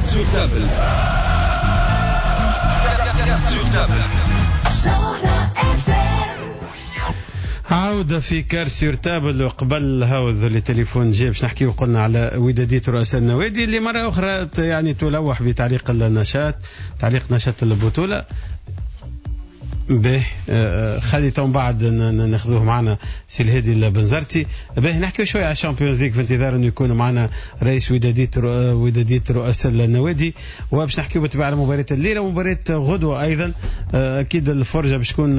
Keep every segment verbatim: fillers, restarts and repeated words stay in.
Carte sur table. Carte sur table. عودة في Carte sur table. وقبل هاو التليفون جاي باش نحكيو قلنا على ودادية رؤساء النوادي اللي مرة أخرى يعني تلوح بتعليق النشاط، تعليق نشاط البطولة. به خلي تو بعد ناخذوه معنا سي الهادي البنزرتي. به نحكيو شوية على ال Champions League في انتظار انه يكون معنا رئيس وداديه وداديه رؤساء النوادي، وباش نحكيو بالطبيعة على مباراة الليلة ومباراة غدوه ايضا. اكيد الفرجة باش تكون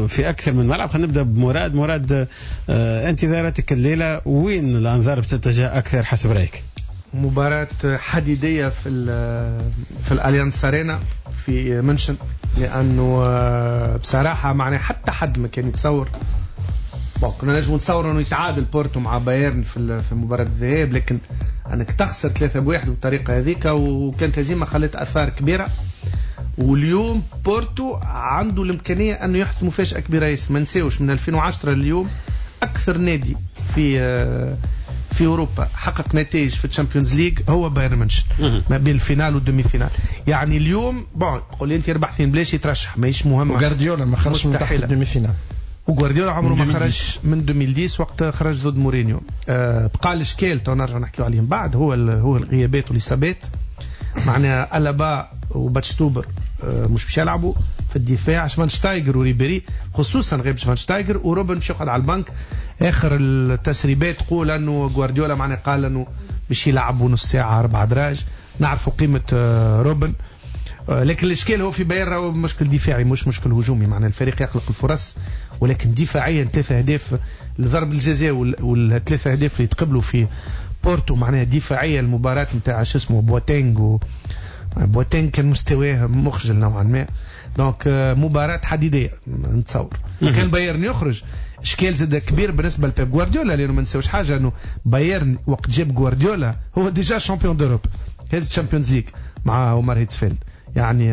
في اكثر من ملعب. خلينا نبدا بمراد. مراد، انتظاراتك الليلة وين الانظار بتتجه اكثر حسب رايك؟ مباراة حديدية في في الاليانس ارينا في منشن، لانه بصراحة معناها حتى حد ما كان يتصور. bon كنا نجم نتصور انه يتعادل بورتو مع بايرن في في مباراة الذهاب، لكن انك تخسر ثلاثة بواحد بالطريقة هذيك، وكانت هزيمة خلت اثار كبيرة. واليوم بورتو عنده الامكانية انه يحدث مفاجاة كبيرة ياسر. ما نساوش من ألفين وعشرة لليوم اكثر نادي في في اوروبا حقق نتائج في ال Champions League هو بايرن ميونخ، ما بين ال finale وال demi-finale. يعني اليوم bon تقول لي انت ربح اثنين بلاش يترشح، ماهيش مهمة. وغارديولا ما خرجش من تحت ال demi-finale، وغوارديولا عمره ما خرج من ألفين وعشرة وقت خرج ضد مورينيو. أه بقى الاشكال تو نرجع نحكيو عليهم بعد، هو هو الغيابات والاصابات. معناها ألابا وباتشتوبر أه مش باش يلعبوا في الدفاع، شفانشتايجر وريبيري خصوصا غيب شفانشتايجر، وروبن باش يقعد على البنك. اخر التسريبات تقول انه غوارديولا معناها قال انه باش يلعبوا نص ساعة اربع دراج. نعرفوا قيمة روبن، لكن الاشكال هو في بايرن هو مشكل دفاعي مش مشكل هجومي. معناها الفريق يخلق الفرص، ولكن دفاعيا ثلاثة اهداف لضرب الجزاء والثلاثة اهداف اللي تقبلوا في بورتو، معناها دفاعيا المباراة نتاع شو اسمه بواتينغ و بواتينغ كان مستواه مخجل نوعا ما. donc مباراة حديدية نتصور. كان بايرن يخرج اشكال زاد كبير بالنسبة لبيب غوارديولا، لانه ما نساوش حاجة انه بايرن وقت جاب غوارديولا هو déjà champion d'Europe، هز Champions League مع عمر هيتسفيلد. يعني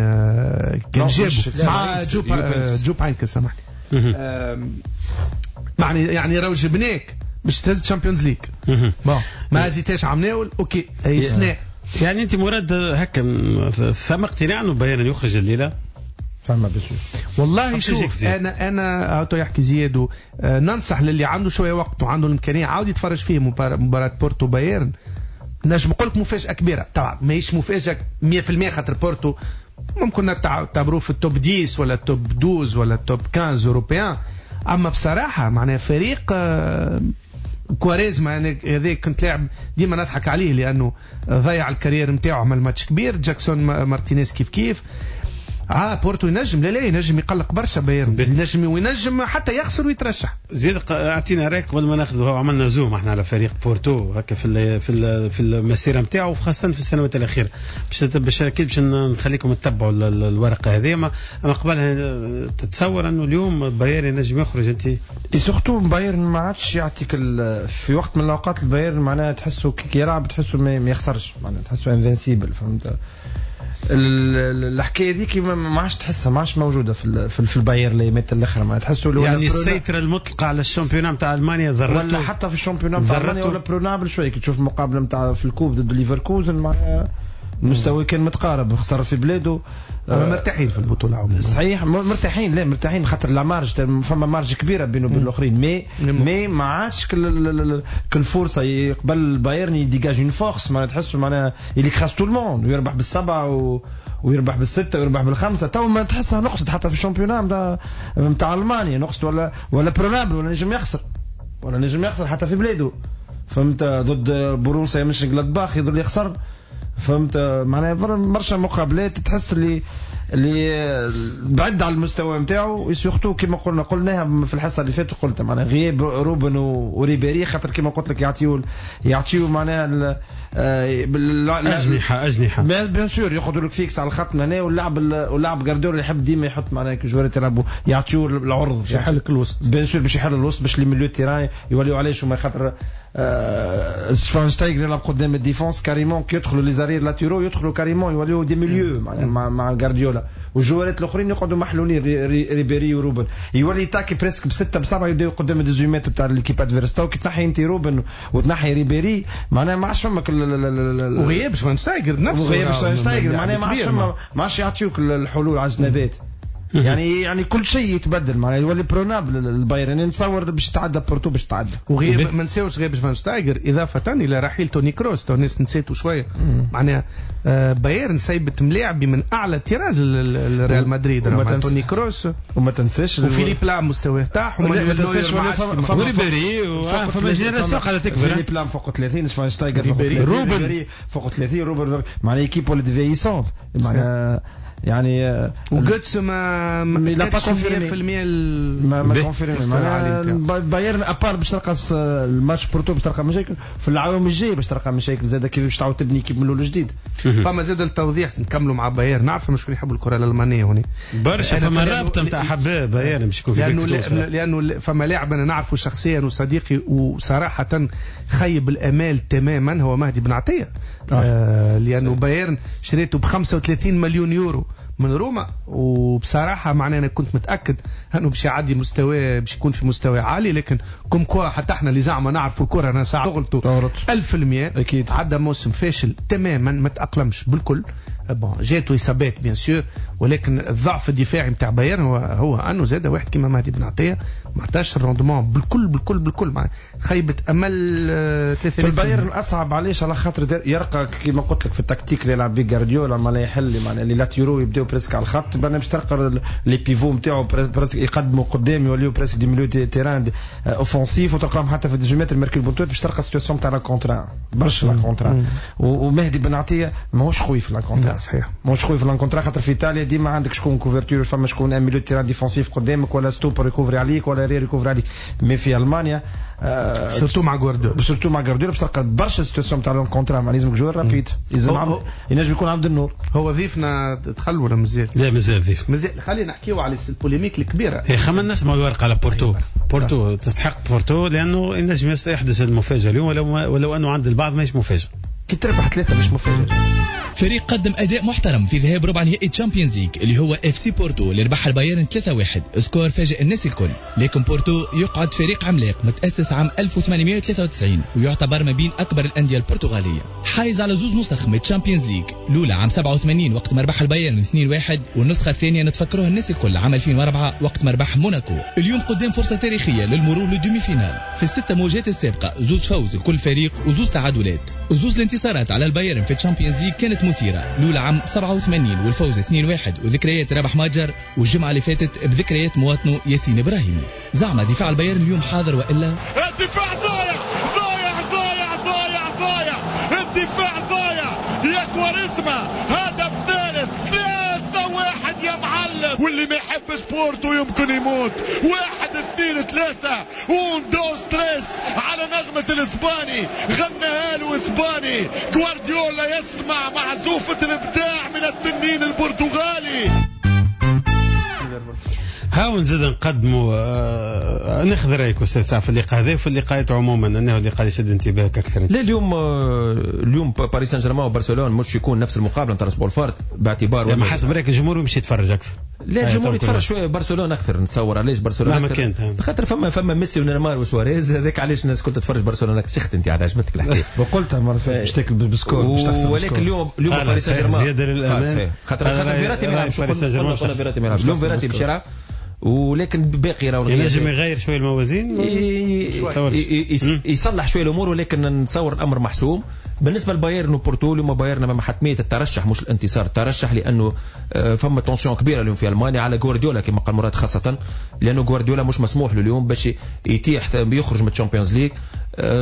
كان جابه مع جوب جوب هاينكل سامحني، يعني يعني راهو جبناك باش تهز Champions League. bon ما هزيتهاش عمناول OK هي سنة. يعني انت مراد هكا ثم اقتناع انه بايرن يخرج الليلة؟ فما بشو والله شوف انا انا هاتو يحكي زياد، ننصح للي عنده شوية وقت وعنده الامكانية عاود يتفرج فيه مباراة بورتو بايرن. نجم نقول لك مفاجاة كبيرة، طبعا ماهيش مفاجاة مية في المية خاطر بورتو ممكن نعتبروه في ال top عشرة ولا ال top اثنا عشر ولا ال top خمسة عشر européen. اما بصراحة معناها فريق كواريزما يعني هذاك كنت لاعب ديما نضحك عليه لانه ضيع ال carrière نتاعو، عمل ماتش كبير. جاكسون مارتينيز كيف كيف. اه بورتو ينجم، لا لا ينجم يقلق برشا بايرن، ينجم وينجم حتى يخسر ويترشح. زيد اعطينا رايك قبل ما ناخذ، عملنا zoom احنا على فريق بورتو هكا في ال في ال في المسيرة نتاعو خاصة في السنوات الاخيرة، باش باش اكيد باش نخليكم تتبعوا الورقة هذه. اما قبلها تتصور انه اليوم بايرن ينجم يخرج انت؟ surtout بايرن ما عادش يعطيك في وقت من الاوقات البايرن معناها تحسه كي يلعب تحسه ما يخسرش، معناها تحسه invincible، فهمت؟ الحكاية ذيك ما عادش تحسها، ما عادش موجودة في في البايرن الايامات الاخرى. ما تحسوا يعني السيطرة المطلقة على ال championnat نتاع المانيا ضرته، ولا حتى في ال championnat نتاع المانيا ولا prenable شوية. كي تشوف المقابلة نتاع في ال coupe ضد ليفركوزن معناها المستوى كان متقارب، خسر في بلاده. آه مرتاحين في البطولة عموما. صحيح مرتاحين، لا مرتاحين خاطر la marge فما marge كبيرة بينه وبين الاخرين، mais mais ما عادش كل كل فرصة يقبل البايرن ي dégage une force، معناها تحسوا معناها il écrase tout le monde ويربح بالسبعه و... ويربح بالسته ويربح بالخمسة. تو ما تحسها نقصد حتى في ال championnat نتاع المانيا نقصد، ولا ولا prenable، ولا نجم يخسر، ولا نجم يخسر حتى في بلاده، فهمت؟ ضد بروسيا مونشنغلادباخ يظل يخسر، فهمت؟ معناها برشا مقابلات تحس اللي اللي بعد على المستوى نتاعو. surtout كيما قلنا قلناها في الحصة اللي فاتت، قلت معناها غياب روبن وريبيري خاطر كيما قلت لك يعطيو يعطيو معناها اجنحة اجنحة bien sûr ياخذوا لك fixe على الخط هنا، واللاعب واللاعب غارديولا يحب ديما يحط معناها joueur ات يلعبوا يعطيو العرض باش يحل الوسط، bien sûr باش يحل الوسط باش les milieux terrain يوليو علاش وما خاطر شفاينشتايغر يلعب قدام ال défense carrément، كي يدخلوا les arrières latéraux يدخلوا carrément يوليو des milieux مع مع, مع غارديولا، والجوارات الاخرين يقعدوا محلولين ريبيري وروبن، يولي يتاكي presque بسته بسبعة يبداو قدام dix-huit mètres تاع l'équipe adverse. كي تنحي انت روبن وتنحي ريبيري معناها ما عادش فما وغياب شفاينشتايغر نفسه، وغياب شفاينشتايغر معناها ما عادش فما، ما عادش يعطيوك الحلول على الجنابات. يعني يعني كل شيء يتبدل معناها يولي prenable البايرن. نتصور باش تعدى بورتو باش تعدى. وغياب ما نساوش غياب شفاينشتايغر اضافه الى رحيل توني كروس، تو الناس نسيتو شوية معناها آه بايرن سايبت ملاعبي من اعلى طراز الريال مدريد توني كروس، وما تنساش وفيليب لام مستواه طاح، وما تنساش وريبيري فما génération قاعدة تكبر. فيليب لام فوق ثلاثين، شفاينشتايغر فوق ثلاثين، روبن فوق ثلاثين، روبن معناها équipe ولات vieillissante معناها يعني وجوتس ما ما pas confirmé ما ما confirmé. بايرن à part باش تلقى الماتش بورتو باش تلقى مشاكل في العوام الجاي، باش تلقى مشاكل زاد كيف باش تعاود تبني équipe من الاول جديد. فما زاد التوضيح نكملوا مع بايرن، نعرف مش يحبوا الكره الالمانية هنا برشا، فما رابطه نتاع حباب بايرن باش يكون في لانه لانه فما لاعب انا نعرفه شخصيا وصديقي وصراحة خيب الامال تماما، هو مهدي بن عطية. آه لانه بايرن شريته ب خمسة وثلاثين مليون يورو من روما، وبصراحة معناها أنا كنت متأكد أنه باش يعدي مستوى، باش يكون في مستوى عالي، لكن comme quoi حتى احنا اللي زعما نعرفوا الكرة أنا ساعة غلطوا ألف المية. أكيد عدى موسم فاشل تماما، ما تأقلمش بالكل. bon جاتو إصابات bien sûr، ولكن الضعف الدفاعي نتاع بايرن هو, هو أنه زاد واحد كيما مهدي بن عطية ما عطاش ال rendement بالكل بالكل بالكل، معناها خيبة أمل ثلاثة. في البايرن أصعب علاش؟ على خاطر يرقى كيما قلت لك في التكتيك اللي يلعب به غارديولا معناها يحل معناها les latéraux يبداو presque على الخط، باش تلقى les pivots نتاعو presque يقدموا قدام يوليو presque des milieux terrain offensifs، وتلقاهم حتى في dix-huit mètres ماركي البونتوت باش تلقى situation تاع l'un contre un برشا l'un contre un. ومهدي بن عطية ماهوش قوي في l'un contre un، صحيح ماهوش قوي في l'un contre un، خاطر في ايطاليا ديما عندك شكون couverture، فما شكون un milieu terrain défensif قدامك ولا stoppeur يكوفري عليك ولا arrière يكوفري عليك. mais في المانيا آه surtout مع غوارديولا، surtout مع غوارديولا باش تلقى برشا situations تاع l'un contre un، مع لازمك joueur rapide، لازم ينجم يكون عبد النور. هو ضيفنا دخل ولا مازال؟ لا مازال ضيف مازال. خلينا نحكيو على ال polémique الكبيرة. هي خمنا نسمعوا الورقة على بورتو. بورتو تستحق بورتو لانه ينجم يحدث المفاجاة اليوم، ولو ولو انه عند البعض ماهيش مفاجاة. كي تربح ثلاثة مش مفاجاة. فريق قدم أداء محترم في ذهاب ربع نهائي تشامبيونز ليج اللي هو اف سي بورتو اللي ربح البايرن ثلاثة واحد، score فاجئ الناس الكل. لكن بورتو يقعد فريق عملاق متأسس عام ألف وثمانمائة وثلاثة وتسعين ويعتبر ما بين أكبر الأندية البرتغالية، حايز على زوز نسخ من تشامبيونز ليج، الأولى عام سبعة وثمانين وقت ما ربح البايرن اثنين واحد، والنسخة الثانية نتفكروها الناس الكل عام ألفين وأربعة وقت ما ربح موناكو. اليوم قدام فرصة تاريخية للمرور لل demi-finale. في الستة مواجهات السابقة زوز فوز لكل فريق وزوز تعادلات، وزوز الانتصارات على البايرن في تشامبيونز ليج كانت مثيرة، الأولى عام سبعة وثمانين والفوز اثنين واحد وذكريات رابح ماجر، والجمعة اللي فاتت بذكريات مواطنه ياسين إبراهيمي. زعما دفاع البايرن اليوم حاضر وإلا؟ الدفاع ضايع ضايع ضايع ضايع ضايع، الدفاع ضايع يا كواريزما، هدف ثالث ثلاثة واحد يا معلم، واللي ما يحبش بورتو يمكن يموت. واحد اثنين ثلاثة un dos tres على نغمة الإسباني، غناها له إسباني. غوارديولا يسمع معزوفة الإبداع من التنين البرتغالي. هاو نزيد نقدموا آه ناخذ رايك استاذ سعد في اللقاء هذا وفي اللقاءات عموما، انه اللقاء اللي شد انتباهك اكثر. لا اليوم اليوم باريس سان جيرمان وبرشلونة مش يكون نفس المقابلة نتاع الاسبوع الفارط باعتبار ما حسب رايك الجمهور يمشي يتفرج اكثر؟ لا الجمهور يتفرج شوية برشلونة اكثر نتصور. علاش برشلونة اكثر؟ خاطر فما فما ميسي ونيمار وسواريز، هذاك علاش الناس كل تتفرج برشلونة اكثر. شخت انت على عجبتك الحكاية وقلتها مرة باش تاكل بال score باش تخسر. ولكن اليوم اليوم باريس سان جيرمان زيادة للامام، خاطر خاطر فيراتي ما يلعبش، فيراتي ما يلعبش اليوم، فيراتي باش يلعب، ولكن باقي راهو ينجم يغير شوية الموازين، يصلح شوية الامور، ولكن نتصور الامر محسوم. بالنسبة لبايرن وبورتو اليوم بايرن امام حتمية الترشح مش الانتصار، الترشح لانه فما tension كبيرة اليوم في المانيا على غوارديولا كما قال مراد، خاصة لانه غوارديولا مش مسموح له اليوم باش يتيح يخرج من الشامبيونز ليج،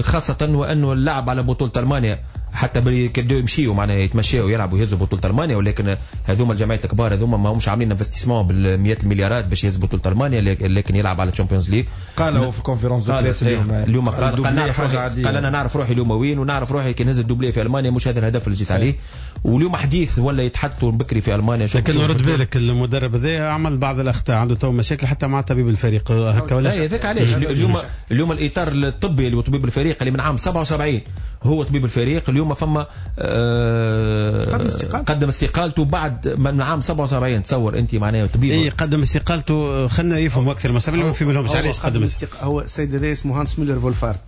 خاصة وانه اللعب على بطوله المانيا حتى كيبداو يمشيو معناها يتمشاو يلعبوا يهزوا بطوله المانيا، ولكن هذوما الجمعيات الكبار هذوما ما همش عاملين investissement بالمئات المليارات باش يهزوا بطوله المانيا، لكن يلعب على الشامبيونز ليج. قالوا في conférence de presse اليوم اليوم قال قال, نعرف روحي، قال انا نعرف روحي اليوم وين، ونعرف روحي كي نهز ال doublé في المانيا مش هذا الهدف اللي جيت عليه. واليوم حديث ولا يتحدثوا بكري في المانيا. لكن رد بالك المدرب هذا عمل بعض الاخطاء، عنده تو مشاكل حتى مع طبيب الفريق هكا ولا هذاك علاش اليوم اليوم الاطار الطبي اللي طبيب الفريق اللي من عام سبعة وسبعين هو طبيب الفريق. اليوم فما آه قدم استقالته قدم استقالته بعد من عام سبعة وسبعين. تصور انت معناها طبيب اي قدم استقالته، خلينا يفهم اكثر ما ما في بالهمش علاش قدم استق... هو السيد هذا اسمه هانس ميلر فولفارت.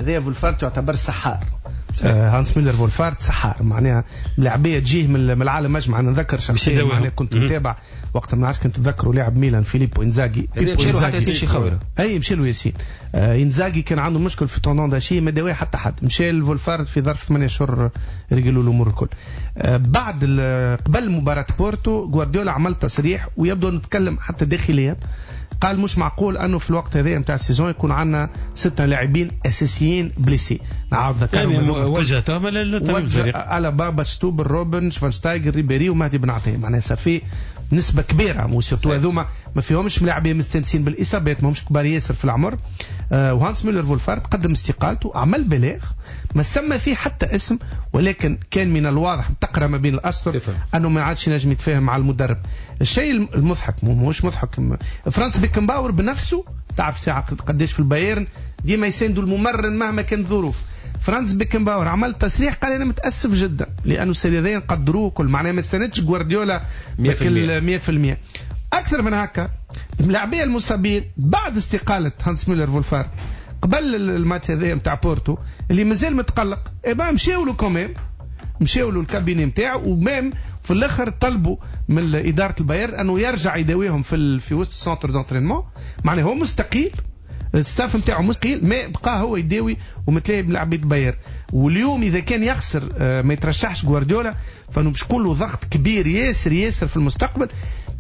هذا فولفارت يعتبر سحار. آه هانس ميلر فولفارت سحار، معناها ملاعبيه تجيه من العالم اجمع. انا نذكر شخصيا معناها كنت متابع وقت ما عادش كنت تذكروا لاعب ميلان فيليبو انزاغي. مشى له حتى ياسين شيخاوي. اي مشى له ياسين. آه انزاغي كان عنده مشكل في tendon d'Achille ما داواه حتى حد، مشى لفولفارت في ظرف ثمانية اشهر رجلوا الامور الكل. آه بعد قبل مباراة بورتو غوارديولا عمل تصريح ويبدو نتكلم حتى داخليا، قال مش معقول انه في الوقت هذا نتاع ال saison يكون عندنا ستة لاعبين اساسيين blessés. نعاود ذكرهم يعني وجه تهمه للطبيب الفريق على بابا شتوبر روبن شفانشتايجر ريبيري ومهدي بن عطية، معناها ça fait نسبه كبيرة و surtout هذوما ما فيهمش ملاعبين مستانسين بالاصابات، ما همش كبار ياسر في العمر. آه وهانس ميلر فولفارت قدم استقالته، عمل بلاغ ما سمى فيه حتى اسم، ولكن كان من الواضح تقرا ما بين الاسطر انه ما عادش ينجم يتفاهم مع المدرب. الشيء المضحك مش مضحك، فرانس بيكنباور بنفسه تعرف ساعة قداش في البايرن ديما يساندوا الممرن مهما كانت الظروف. فرانس بيكنباور عمل تصريح قال انا متاسف جدا لانه السيدين قدروه كل، معناها ما استندش غوارديولا بكل مية في المية. اكثر من هكا الملاعبيه المصابين بعد استقالة هانس ميلر فولفارت قبل الماتش هذا نتاع بورتو اللي مازال متقلق، eh ben مشاو له quand même، مشاو له ال cabinet نتاعو، و même في الاخر طلبوا من ادارة البايرن انه يرجع يداويهم في في وسط ال centre d'entraînement. معناها هو مستقيل، ال staff نتاعو مستقيل، ما بقى هو يداوي ومتلاقي بلاعبيه بايرن. واليوم اذا كان يخسر ما يترشحش غوارديولا فانه باش يكون له ضغط كبير ياسر ياسر في المستقبل.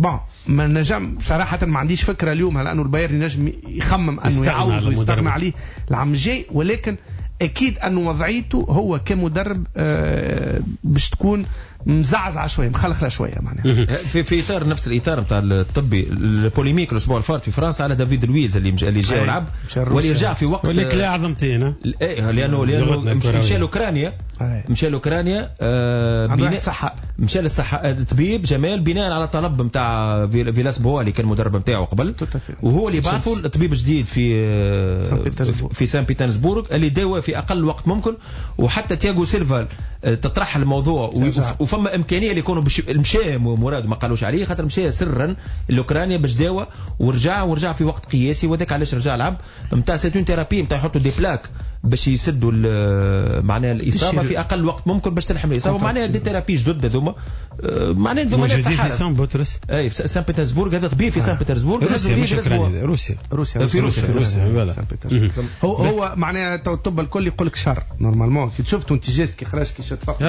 bon ما نجم صراحة ما عنديش فكرة اليوم لانه البايرن ينجم يخمم انه يعوض ويستغنى عليه العام الجاي، ولكن اكيد انه وضعيته هو كمدرب باش تكون مزعزعه شوية مخلخله شوية معناها. في في اطار نفس الاطار نتاع الطبي ال polémique الاسبوع الفارط في فرنسا على دافيد لويز اللي اللي جا ولعب واللي رجع في وقت واللي كلا عظمتين ايه لانه لانه مشى لاوكرانيا مشى لاوكرانيا بناء صحة مشى للصحة الطبيب جمال بناء على طلب نتاع فيلاس بوا اللي كان المدرب نتاعو قبل، وهو اللي بعثه الطبيب جديد في في سان بيترسبورغ اللي داوى في اقل وقت ممكن. وحتى تياغو سيلفا تطرح الموضوع وفما امكانية اللي يكونوا مشى مراد ما قالوش عليه خاطر مشى سرا لاوكرانيا باش داوى ورجع ورجع في وقت قياسي، وذاك علاش رجع لعب نتاع c'est une thérapie نتاع يحطوا des plaques باش يسدوا معناها الاصابة في اقل وقت ممكن باش تلحم الاصابة، معناها des thérapies جدد هذوما معناها هذوما موجودين في سان بطرس اي في سان بيترسبورغ. هذا طبيب في سان بيترسبورغ روسيا مش روسيا روسيا روسيا في روسيا روسيا هو هو معناها الطب الكل يقول لك شهر normalement كي شفتوا انت geste كي خرج كي شد فقط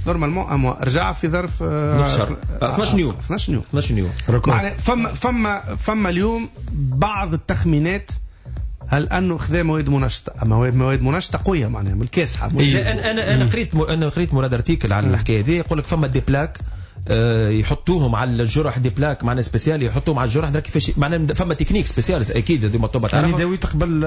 normalement un mois رجع في ظرف نص شهر اثناش يوم اثناش يوم اثناش يوم. معناها فما فما فما اليوم بعض التخمينات هل انه خذا مواد منشطه، اما مواد منشطه قوية معناها من الكاسحه. انا انا انا قريت انا قريت مراد article على الحكاية هذه، يقول لك فما des plaques يحطوهم على الجرح، des plaques معناها spéciales يحطوهم على الجرح كيفاش معناها فما technique spéciale اكيد هذوما الطب تعرفها يعني داوي تقبل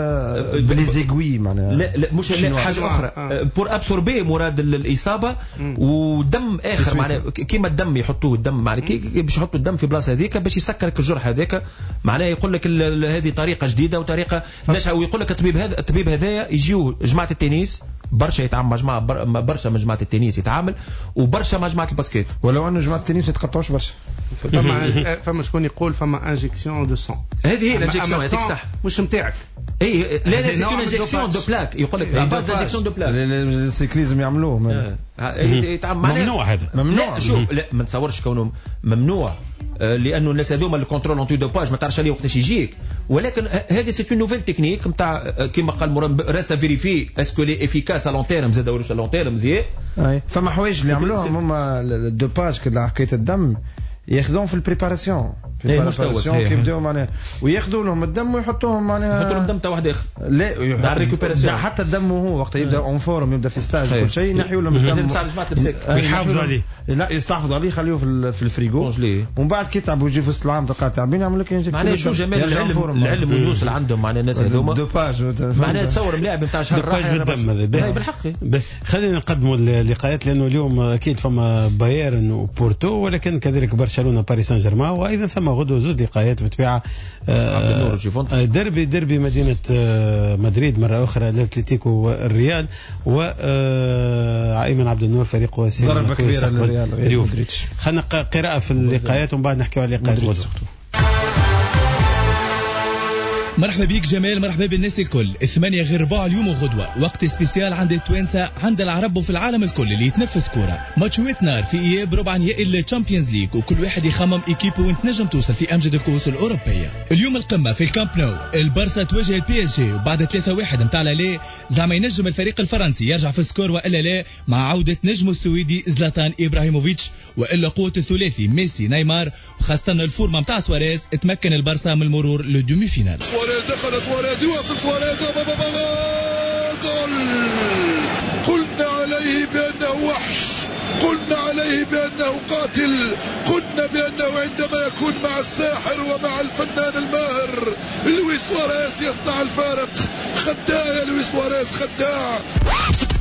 ب les aiguilles معناها لا لا مش لا حاجة اخرى pour absorber مراد الاصابة ودم اخر معناها كيما الدم يحطوه الدم معناها باش يحطوا الدم في بلاصة هذيك باش يسكرك الجرح هذاك معناها يقول لك هذه طريقه جديدة وطريقه نشأ. ويقول لك الطبيب هذا الطبيب هذايا يجيو جماعة التنس برشا يتعامل مع جماعة برشا من جماعة التنس يتعامل وبرشا مع جماعة ال basket، ولو انه جماعة التنس ما يتقطعوش برشا. فما فما شكون يقول فما injection de sang، هذه هي ال injection هذيك صح مش نتاعك اي لا لا c'est une injection de plaques يقول لك base d'injection de plaques ال cyclisme يعملوه ممنوع هذا ممنوع. شوف لا ما نتصورش كونه ممنوع لانه الناس هذوما ال contrôle antidopage ما تعرفش عليه وقتاش يجيك، ولكن هذه c'est une nouvelle technique نتاع كيما قال مراد reste à vérifier est-ce qu'elle est efficace à long terme زاد ولا long terme زي فما حوايج اللي يعملوهم هما ال dopage كي حكاية الدم ياخذوهم في ال préparation في ال préparation كيبداو معناها وياخذوا لهم الدم ويحطوهم معناها يحطوا لهم الدم تاع واحد اخر لا récupération حتى الدم وهو وقت يبدا en forme يبدا في stage كل شيء ينحيوا لهم الدم ويحافظوا عليه لا يستحفظوا عليه يخليوه في في الفريغو ومن بعد كي تعبوا يجي في وسط العام تلقى تعبين يعمل لك معناها شو جمال العلم العلم والنوصل عندهم معناها الناس هذوما dopage معناها تصور ملاعب نتاع شهر راح بالدم هذا بالحق. خلينا نقدموا اللقاءات لانه اليوم اكيد فما بايرن وبورتو ولكن كذلك برشلونة باريس سان جيرمان وايضا ثم غدوه زوج لقاءات بالطبيعة، ديربي ديربي مدينة مدريد مرة اخرى، الاتليتيكو والريال، وايمن عبد النور فريقه ضربه كبيرة للريال. خلينا قراءة في اللقاءات ومن بعد نحكيو على لقاءات غدوه. مرحبا بيك جمال، مرحبا بالناس الكل. ثمانية غير ربع اليوم وغدوة، وقت spécial عند التوانسة، عند العرب وفي العالم الكل اللي يتنفس كورة. ماتشوات نار في إياب ربع نهائي ال Champions League، وكل واحد يخمم équipe وين تنجم توصل في أمجد الكؤوس الأوروبية. اليوم القمة في الكامب نو، البارسا تواجه ال PSG، وبعد ثلاثة واحد متاع l'aller زعما ينجم الفريق الفرنسي يرجع في ال score وإلا لا، مع عودة نجمه السويدي زلاتان إبراهيموفيتش، وإلا قوة الثلاثي ميسي نيمار، وخاصة ال forme متاع سواريز تمكن البارسا من المرور لل demi-finale. سواريز دخل، سواريز يواصل، سواريز جول. قلنا عليه بأنه وحش، قلنا عليه بأنه قاتل، قلنا بأنه عندما يكون مع الساحر ومع الفنان الماهر لويس سواريز يصنع الفارق. خداع يا لويس سواريز، خداع.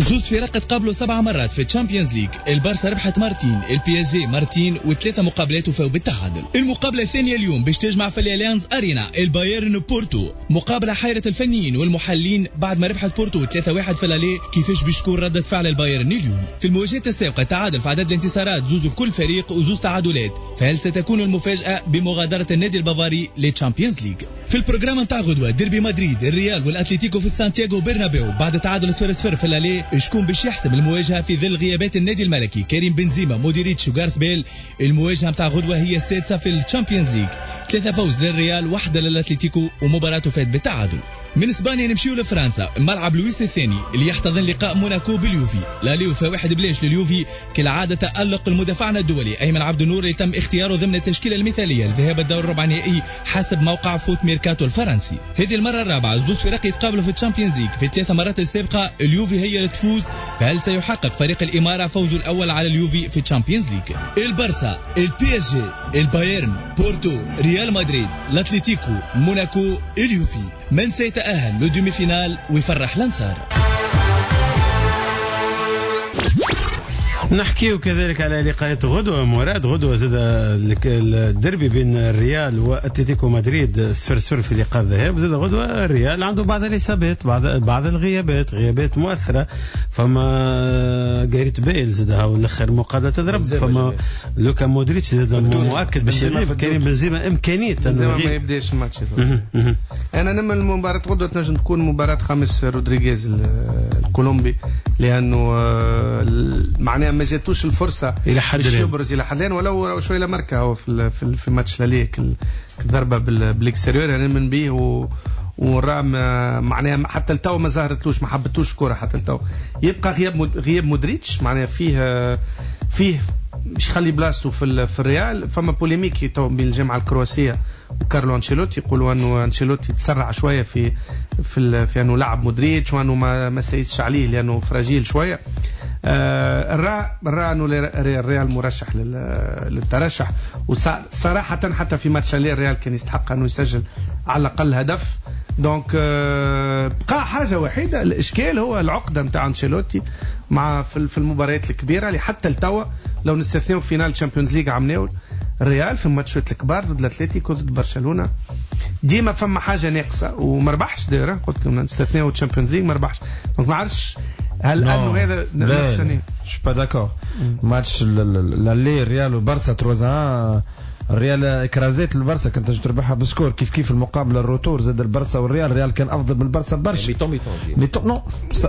زوج فرق تقابلوا سبع مرات في ال Champions League، البارسا ربحت مرتين، ال PSG مرتين، وثلاثة مقابلات وفاو بالتعادل. المقابلة الثانية اليوم باش تجمع في الاليانز ارينا البايرن بورتو، مقابلة حيرة الفنيين والمحللين بعد ما ربحت بورتو ثلاثة واحد في l'aller. كيفاش باش تكون ردة فعل البايرن اليوم؟ في المواجهات السابقة تعادل في عدد الانتصارات، زوز لكل فريق وزوز تعادلات، فهل ستكون المفاجأة بمغادرة النادي البافاري لل Champions League؟ في ال programme نتاع غدوة ديربي مدريد، الريال والاتليتيكو في سانتياغو برنابيو بعد تعادل صفر صفر في l'aller. شكون باش يحسم المواجهة في ظل غيابات النادي الملكي كريم بنزيما، مودريتش وغارث بيل؟ المواجهة نتاع غدوة هي السادسة في ال Champions League، ثلاثة فوز للريال، واحدة للاتليتيكو، ومباراته فات بالتعادل. من اسبانيا نمشيو لفرنسا، ملعب لويس الثاني اللي يحتضن لقاء موناكو باليوفي. l'aller وفا واحد بلاش لليوفي، كالعادة تألق المدافعنا الدولي ايمن عبد النور اللي تم اختياره ضمن التشكيلة المثالية لذهاب الدور الربع النهائي حسب موقع فوت ميركاتو الفرنسي. هذه المرة الرابعة زوج فرق يتقابلوا في ال Champions League، في الثلاث مرات السابقة اليوفي هي اللي تفوز، فهل سيحقق فريق الامارة فوزه الاول على اليوفي في ال Champions League؟ البارسا، ال PSG، البايرن، بورتو، ريال مدريد، الاتليتيكو، موناكو، اليوفي، من سيتأهل لل demi-finale ويفرح الانصار؟ نحكيو كذلك على لقاءات غدوة مراد. غدوة زاد الدربي بين الريال واتلتيكو مدريد صفر صفر في لقاء الذهاب. زاد غدوة الريال عنده بعض الإصابات، بعض بعض الغيابات، غيابات مؤثرة. فما غاريت بيل زاد هاو الاخر مقابلة تضرب، فما لوكا مودريتش زاد مؤكد باش يغيب، كريم بنزيما إمكانية بنزيما ما يبداش الماتش. أنا نمل المباراة غدوة تنجم تكون مباراة خامس رودريغيز الكولومبي، لأنه معناها ما جاتوش الفرصة الى حد الان يبرز الى حد الان، ولو شوية لماركه هو في في, في ماتش l'aller الضربة بال extérieur يعني من بيه و ورام معناها حتى التو ما ظهرتلوش، ما حبتوش كره حتى التو. يبقى غياب غياب مودريتش معناها فيه فيه مش يخلي بلاصته في في الريال. فما polémique تو بين الجامعة الكرواسيه وكارلو انشيلوتي، يقولوا انه انشيلوتي تسرع شوية في في في انه لعب مودريتش وانه ما ما سيدش عليه لانه fragile شوية. آه الرا الرا انه الريال مرشح للترشح، وصراحة حتى في ماتش الريال كان يستحق انه يسجل على الاقل هدف. donc آه بقى حاجة وحيده، الاشكال هو العقدة نتاع انشيلوتي مع في المباريات الكبيرة اللي حتى التوا لو نستثنيو finale Champions League عمناول الريال في الماتشات الكبار ضد الاتليتيكو ضد برشلونة ديما فما حاجة ناقصه وما ربحش. دايرة قلت لكم نستثنيو Champions League ما ربحش، donc ما عرفتش هل انه هذا نفس je suis pas d'accord. match l'aller ريال وبرسا ثلاثة واحد، الريال écrasait البرسا كنت تنجم تربحها ب score كيف كيف. المقابلة ال retour زاد البرسا والريال، الريال كان افضل من البرسا برشا. mi-temps mi-temps mi-temps non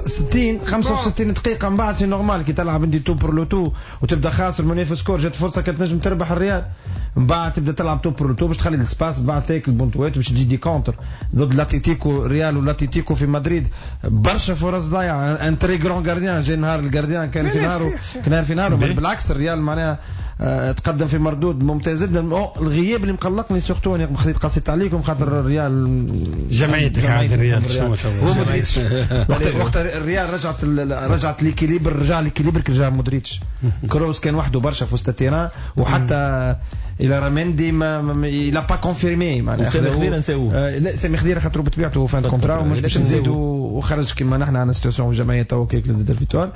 ستين خمسة وستين دقيقة من بعد c'est normal كي تلعب انت tout pour le tout وتبدا خاسر المنافس score، جات فرصة كانت تنجم تربح الريال. من بعد تبدا تلعب tout pour le tout باش تخلي l'espace، بعد تاكل بونتوات باش تجي des contres ضد الاتليتيكو. ريال والاتليتيكو في مدريد برشا فرص ضايعة. un très grand gardien جاي نهار ال gardien كان في نهاره، كان في نهاره. بالعكس الريال معناها تقدم في مردود ممتاز جدا. الغياب اللي مقلقني surtout انا خذيت قصيت عليكم خاطر الريال جمعيتك عاد الريال شنو هو مودريتش. وقت وقت الريال رجعت رجعت l'équilibre، رجع l'équilibre كي رجع مودريتش. كروس كان وحده برشا في وسط ال terrain، وحتى الى رامندي ما il a pas confirmé معناها. سامي خضيره نساوه، لا سامي خضيره خاطر بطبيعته fin contrat ومش باش نزيدوا وخرج كيما نحن عندنا situation جمعية تو كيك زاد الفيتوال.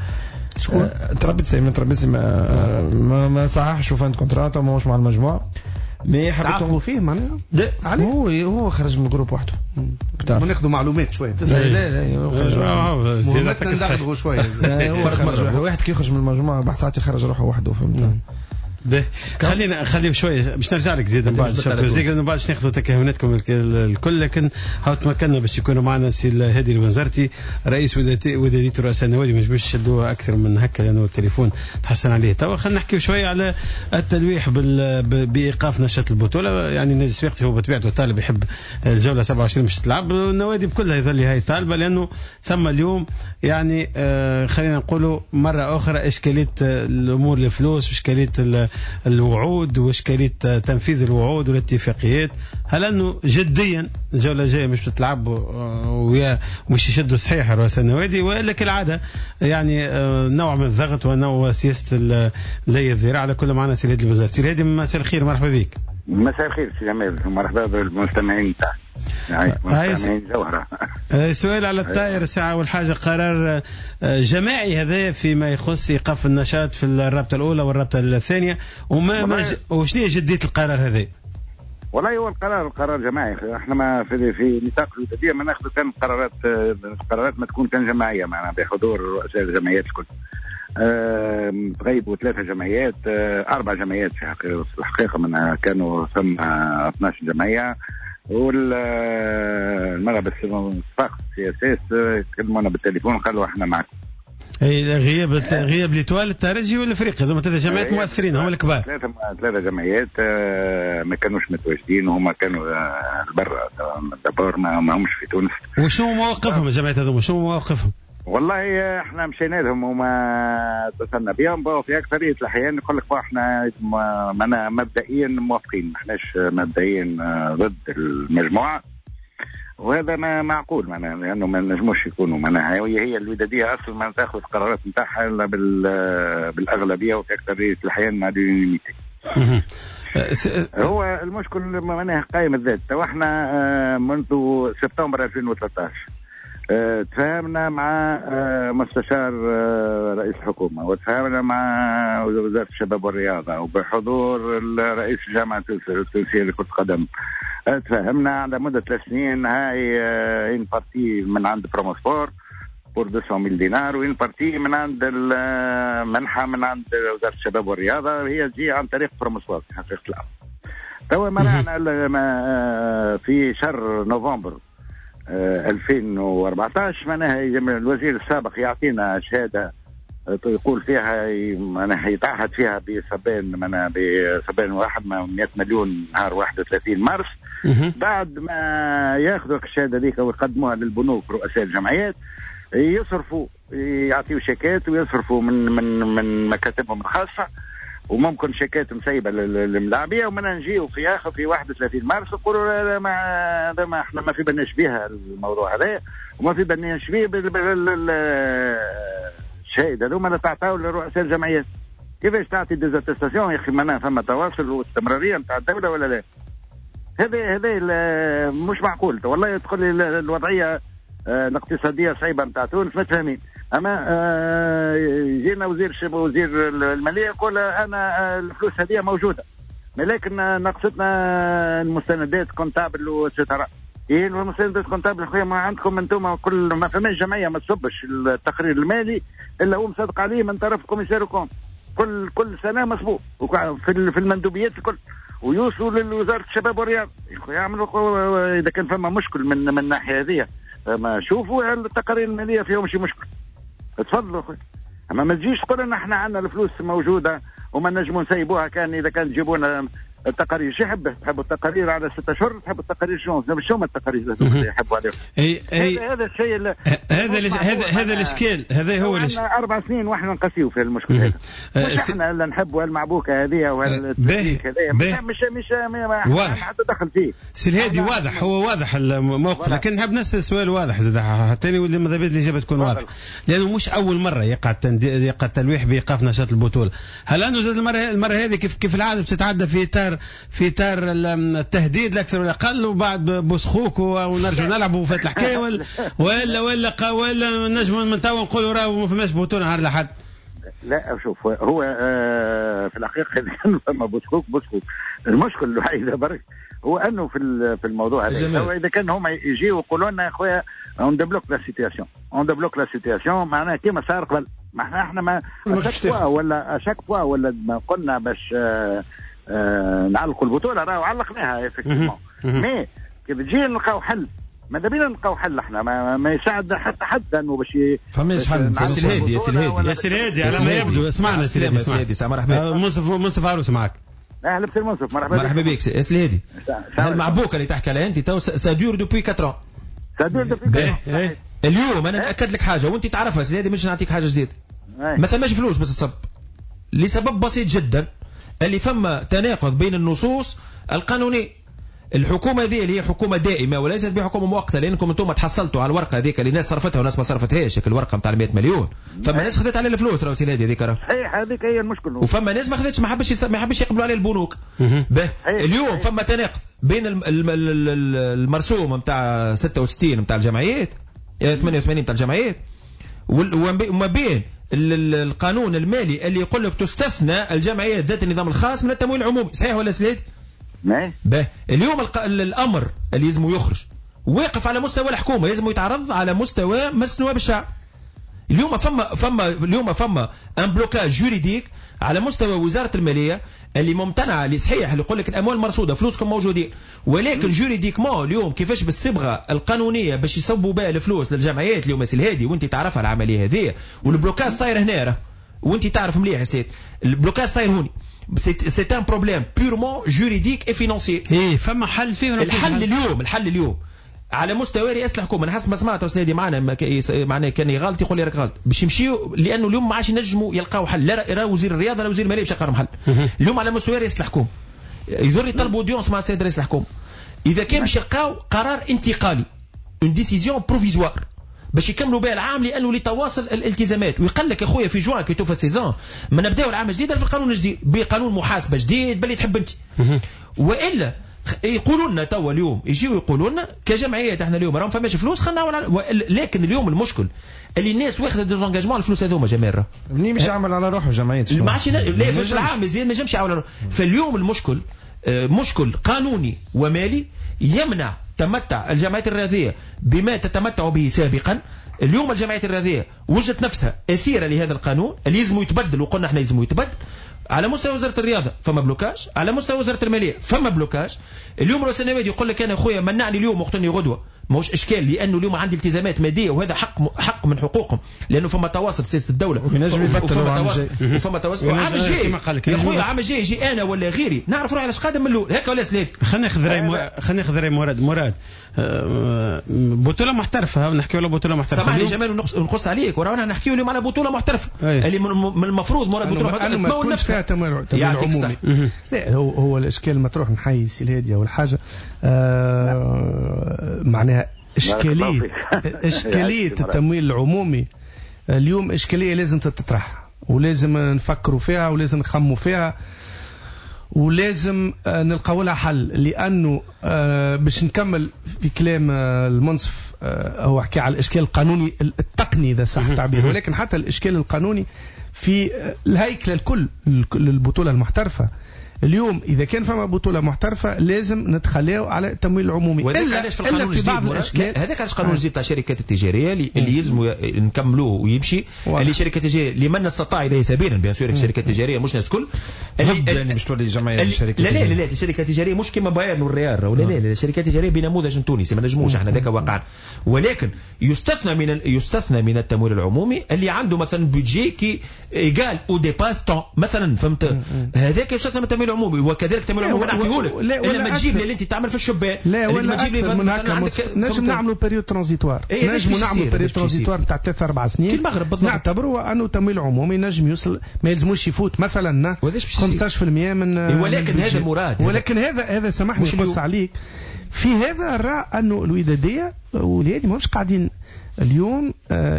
شكون ترابيسي من ترابيسي ما ما, ما صححش fin contrat ماهوش مع المجموعة. mais تعاقبوا فيه معناها؟ لا هو هو خرج من ال groupe وحده. ناخذوا معلومات شوية. لا لا هو خرج وحده. ندغدغوا شوية. واحد كي يخرج من المجموعة بعد ساعات يخرج روحه وحده، فهمت؟ به خلينا خلي شوية باش نرجع لك زيد من بعد ال Champions League، لانه بعد باش ناخذوا تكهناتكم الكل، لكن هاو تمكنا باش يكونوا معنا سي الهادي البنزرتي رئيس ودادية رؤساء النوادي، ما نجموش نشدوها اكثر من هكا لانه التليفون تحسن عليه. توا خلينا نحكيو شوية على التلويح بايقاف نشاط البطولة. يعني النادي الصفاقسي هو بطبيعته طالب يحب الجولة سبعة وعشرين باش تلعب، النوادي بكلها يظل هاي طالبه، لانه ثم اليوم يعني آه خلينا نقولوا مرة اخرى اشكالية الامور الفلوس واشكاليه الوعود واشكاليه تنفيذ الوعود والاتفاقيات. هل انه جديا الجولة الجاية مش بتلعب ويا مش يشدوا صحيح رؤساء النوادي، والا كالعادة يعني نوع من الضغط ونوع سياسة لي الذراع؟ على كل معنا سي الهادي البنزرتي. سي الهادي مساء الخير، مرحبا بك. مساء الخير سي جمال، مرحبا بالمستمعين تاعك. مستمعين جوهرة. سؤال على الطائر ساعة والحاجة، قرار جماعي هذا فيما يخص إيقاف النشاط في الرابطة الأولى والرابطة الثانية، وما ما ج... وشنو هي جدية القرار هذا؟ والله هو القرار قرار جماعي، احنا ما في في نطاق الودادية ما ناخذ كان قرارات، قرارات ما تكون كان جماعية، معنا بحضور رؤساء الجمعيات الكل. أه تغيبوا ثلاثة جمعيات، أه أربع جمعيات في الحقيقة، من كانوا ثم اثناش جمعية، والمرة الصفاقس CSS كلمونا بالتليفون قالوا احنا معكم. اي غياب غياب l'Étoile الترجي والافريقي، هذوما ثلاثة جمعيات مؤثرين هم الكبار. ثلاثة ثلاثة جمعيات ما كانوش متواجدين وهما كانوا برا d'abord، ما همش في تونس. وشنو مواقفهم الجمعيات هذوما؟ شنو مواقفهم؟ والله احنا مشينا لهم وما اتصلنا بهم، في اكثرية الاحيان يقول لك احنا مبدئيا موافقين، ما احناش مبدئيا ضد المجموعة، وهذا ما معقول معناها، لانه ما نجموش يكونوا معناها هي هي الوداديه اصلا ما تاخذ القرارات نتاعها الا بالاغلبيه وفي اكثرية الاحيان مع l'unanimité. هو المشكل معناها قائم الذات. تو احنا منذ سبتمبر ألفين وثلاثة عشر تفاهمنا مع مستشار رئيس الحكومة، وتفاهمنا مع وزارة الشباب والرياضة، وبحضور رئيس الجامعة التونسية لكرة القدم، تفاهمنا على مدة ثلاث سنين هاي une partie من عند Promosport pour مئتين مليون دينار، و une partie من عند المنحة من عند وزارة الشباب والرياضة، هي تجي عن طريق Promosport في حقيقة الأمر. توا منعنا في شهر نوفمبر ألفين وأربعة عشر معناها الوزير السابق يعطينا شهادة يقول فيها معناها يتعهد فيها بسبان معناها بسبان واحد مئة مليون نهار واحد وثلاثين مارس. بعد ما ياخذوا الشهادة ذيك ويقدموها للبنوك رؤساء الجمعيات، يصرفوا يعطيوا شيكات ويصرفوا من من من مكاتبهم الخاصة، وممكن شيكات مسيبه للملاعبيه، ومن نجيو في اخر في واحد وثلاثين مارس نقولوا لا ما هذا ما احنا ما في بالناش بها الموضوع هذا، وما في بالناش به الشهادة هذوما اللي تعطاو لرؤساء الجمعيات. كيفاش تعطي des attestations يا اخي؟ معناها فما تواصل واستمراريه نتاع الدولة ولا لا؟ هذا هذا مش معقول والله. تقول لي الوضعية الاقتصادية صعيبة نتاع تونس ما تفهمين، اما جينا وزير وزير المالية يقول انا الفلوس هذه موجودة، لكن ناقصتنا المستندات comptables و et cetera. ايه المستندات comptables خويا ما عندكم انتم، كل ما فماش جمعية ما تصبش التقرير المالي الا هو مصدق عليه من طرف commissaire aux comptes، كل كل سنة مسبوق في في المندوبيات الكل، ويوصلوا لوزارة الشباب والرياضة يعملوا اذا كان فما مشكل من من الناحية هذه ما شوفوا التقارير المالية فيهم شي مشكل، تفضلوا اخوي. اما ما تجيش تقول ان احنا عندنا الفلوس موجودة وما نجموا نسيبوها كان اذا كان تجيبونا التقارير. شو يحب؟ تحبوا التقارير على ستة اشهر؟ تحبوا التقارير شنو؟ شو هما التقارير اللي يحبوا عليهم؟ اي اي هذا الشيء هذا هذا هذا الاشكال، هذا هو الاشكال. اربع سنين واحنا نقاسيو في المشكل هذا. مش احنا اللي نحبوا المعبوكه هذه وهالتكتيك هذا، مش مش مش حتى دخل فيه. سي الهادي واضح، هو واضح الموقف، لكن نحب نسال سؤال واضح زاد حتى واللي ماذا بيا الاجابة تكون واضحة، لانه مش اول مرة يقع يقع التلويح بايقاف نشاط البطولة. هل انه زاد المرة المرة هذه كيف كيف العادة باش تتعدى في اطار في اطار التهديد لا اكثر ولا اقل، وبعد بوسخوك ونرجع نلعبوا وفات الحكاية، ولا ولا ولا ولا نجم من توا نقولوا راه ما فماش بطوله نهار الاحد؟ لا شوف، هو آه في الحقيقة اذا كان فما بوسكوك بوسكوك، المشكل الوحيد برك هو انه في في الموضوع هذا اذا كان هما يجيو يقولوا لنا يا خويا on débloque la situation، on débloque la situation، معناها كيما صار قبل. ما احنا احنا ما à chaque fois ولا à chaque fois ولا ما قلنا باش آه آه نعلقوا البطولة، راهو علقناها effectivement، mais كيف تجي نلقاو حل، ماذا بينا نلقاو حل احنا، ما, ما يساعدنا حتى حد انه باش فماش حل. يا سي الهادي، يا سي الهادي، يا سي الهادي، على ما يبدو اسمعنا سي الهادي، اسمعنا. مرحبا منصف، منصف عروس معك. اهلا بسي منصف، مرحبا مرحبا بك يا سي الهادي. المعبوكه اللي تحكي عليها انت تو ça dure depuis quatre ans، ça dure depuis. اليوم انا ناكد لك حاجة وانت تعرفها سي الهادي، مش نعطيك حاجة جديدة. ما ثماش فلوس باش تصب، لسبب بسيط جدا، اللي فما تناقض بين النصوص القانونية. الحكومة هذه اللي هي حكومة دائمة وليست بحكومة مؤقتة، لانكم انتم تحصلتوا على الورقة هذيك اللي ناس صرفتها وناس ما صرفتهاش، الورقة نتاع مئة مليون، فما ناس خذت على الفلوس راهو سي الهادي هذيك راه. صحيح، هذيك هي المشكل. وفما ناس ما خذتش، ما حبش ما حبش يقبلوا عليه البنوك. به اليوم فما تناقض بين المرسوم نتاع ستة وستين نتاع الجمعيات، ثمانية وثمانين نتاع الجمعيات، وما بين القانون المالي اللي يقول لك تستثنى الجمعيات ذات النظام الخاص من التمويل العمومي. صحيح ولا سي الهادي؟ به اليوم الق... الامر اللي لازم يخرج واقف على مستوى الحكومة، لازم يتعرض على مستوى مجلس نواب الشعب. اليوم فما فما اليوم فما un blocage juridique على مستوى وزارة المالية اللي ممتنعه، اللي صحيح اللي يقول لك الاموال مرصوده، فلوسكم موجودين، ولكن juridiquement اليوم كيفاش بالصبغه القانونية باش يصبوا بها الفلوس للجمعيات اليوم سي الهادي، وانت تعرفها العملية هذه، وال blocage صاير هنا راه، وانت تعرف مليح يا سيد ال blocage صاير هوني. c'est un problème purement juridique et financier. ايه فما حل فيه ولا الحل اليوم؟ الحل اليوم على مستوى رئاسة الحكومة، انا حسب ما سمعت سنادي معنا معناه كان غلط يقول لي راك غلط، باش يمشيو لانه اليوم ما عادش ينجموا يلقاو حل، لا لا وزير الرياضة لا وزير المالية باش يلقاو حل. اليوم على مستوى رئاسة الحكومة يضر يطلبوا audience مع السيد رئيس الحكومة اذا كان باش يلقاو قرار انتقالي، une décision provisoire باش يكملوا بها العام، لانه لتواصل الالتزامات. ويقول لك يا خويا في جوان كي توفى ال saison ما نبداو العام الجديد في القانون الجديد بقانون محاسبه جديد باللي تحب انت. والا يقولوا لنا توا اليوم يجيو يقولوا لنا كجمعيات احنا اليوم راهم فماش فلوس خلينا نعمل. لكن اليوم المشكل اللي الناس واخذه des engagements الفلوس هذوما جمال منين باش يعمل على روحه جمعيات ما عادش لا فلوس العام مزيان ما ينجمش يعمل على روحه. فاليوم المشكل مشكل قانوني ومالي يمنع تمتع الجمعيات الرياضية بما تتمتع به سابقا. اليوم الجمعيات الرياضية وجدت نفسها اسيرة لهذا القانون اللي يلزم يتبدل، وقلنا احنا يلزم يتبدل. على مستوى وزارة الرياضة فما blocage، على مستوى وزارة المالية فما blocage. اليوم رؤساء النوادي يقول لك انا خويا منعني اليوم وقتني غدوه، ماهوش اشكال لانه اليوم عندي التزامات مادية وهذا حق حق من حقوقهم، لانه فما تواصل سياسة الدولة وينجم يفتح وفما وفما تواصل. عام الجاي يا خويا عام الجاي يجي انا ولا غيري نعرف روحي علاش قادم من الاول هكا ولا سليت. خلينا ناخذ راي خلينا ناخذ راي مراد. مراد بطوله محترفه، نحكيو على بطوله محترفه. سامحني جمال ونقص عليك، ورانا نحكيو اليوم على بطوله محترفه اللي من المفروض مراد بطوله محترفه تمول نفسها. يعطيك الصحة. لا هو هو الاشكال مطروح نحيي سي الهادي اول حاجة آه معناها إشكالية إشكالية التمويل العمومي اليوم إشكالية لازم تتطرح ولازم نفكروا فيها ولازم نخموا فيها ولازم نلقاو لها حل، لأنه باش نكمل في كلام المنصف هو حكى على الإشكال القانوني التقني إذا صح التعبير، ولكن حتى الإشكال القانوني في الهيكلة الكل للبطولة المحترفة. اليوم اذا كان فما بطوله محترفه لازم نتخلاو على التمويل العمومي، وهذاك علاش في القانون الجديد، هذاك علاش القانون الجديد تاع الشركات التجارية اللي, اللي يلزموا نكملوه ويمشي، اللي شركات التجارية لمن استطاع اليه سبيلا، bien sûr الشركات التجارية مش ناس كل اللي باش تولي جمعية الشركات. لا لا لا الشركات التجارية مش كيما بايرن والريال، ولا لا لا الشركات التجارية بنموذج تونسي ما نجموش احنا ذاك واقعا، ولكن يستثنى من يستثنى من التمويل العمومي اللي عنده مثلا budget qui égale ou dépasse tant مثلا، فهمت؟ هذاك يستثنى من التمويل العمومي، وكذلك التمويل العمومي نعطيه لك الا ما تجيب لي اللي انت تعمل في الشبان، لا ولا تجيب لي من هكا نجم نعملوا période transitoire، نجم نعملوا période transitoire نتاع ثلاث اربع سنين في المغرب بالضبط، نعتبروا انه التمويل العمومي نجم يوصل ما يلزموش يفوت مثلا خمسطاش بالمية من، ولكن هذا مراد، ولكن هذا هذا سامحني نقص عليك في هذا نرى انه الوداديه والهادي ماهمش قاعدين اليوم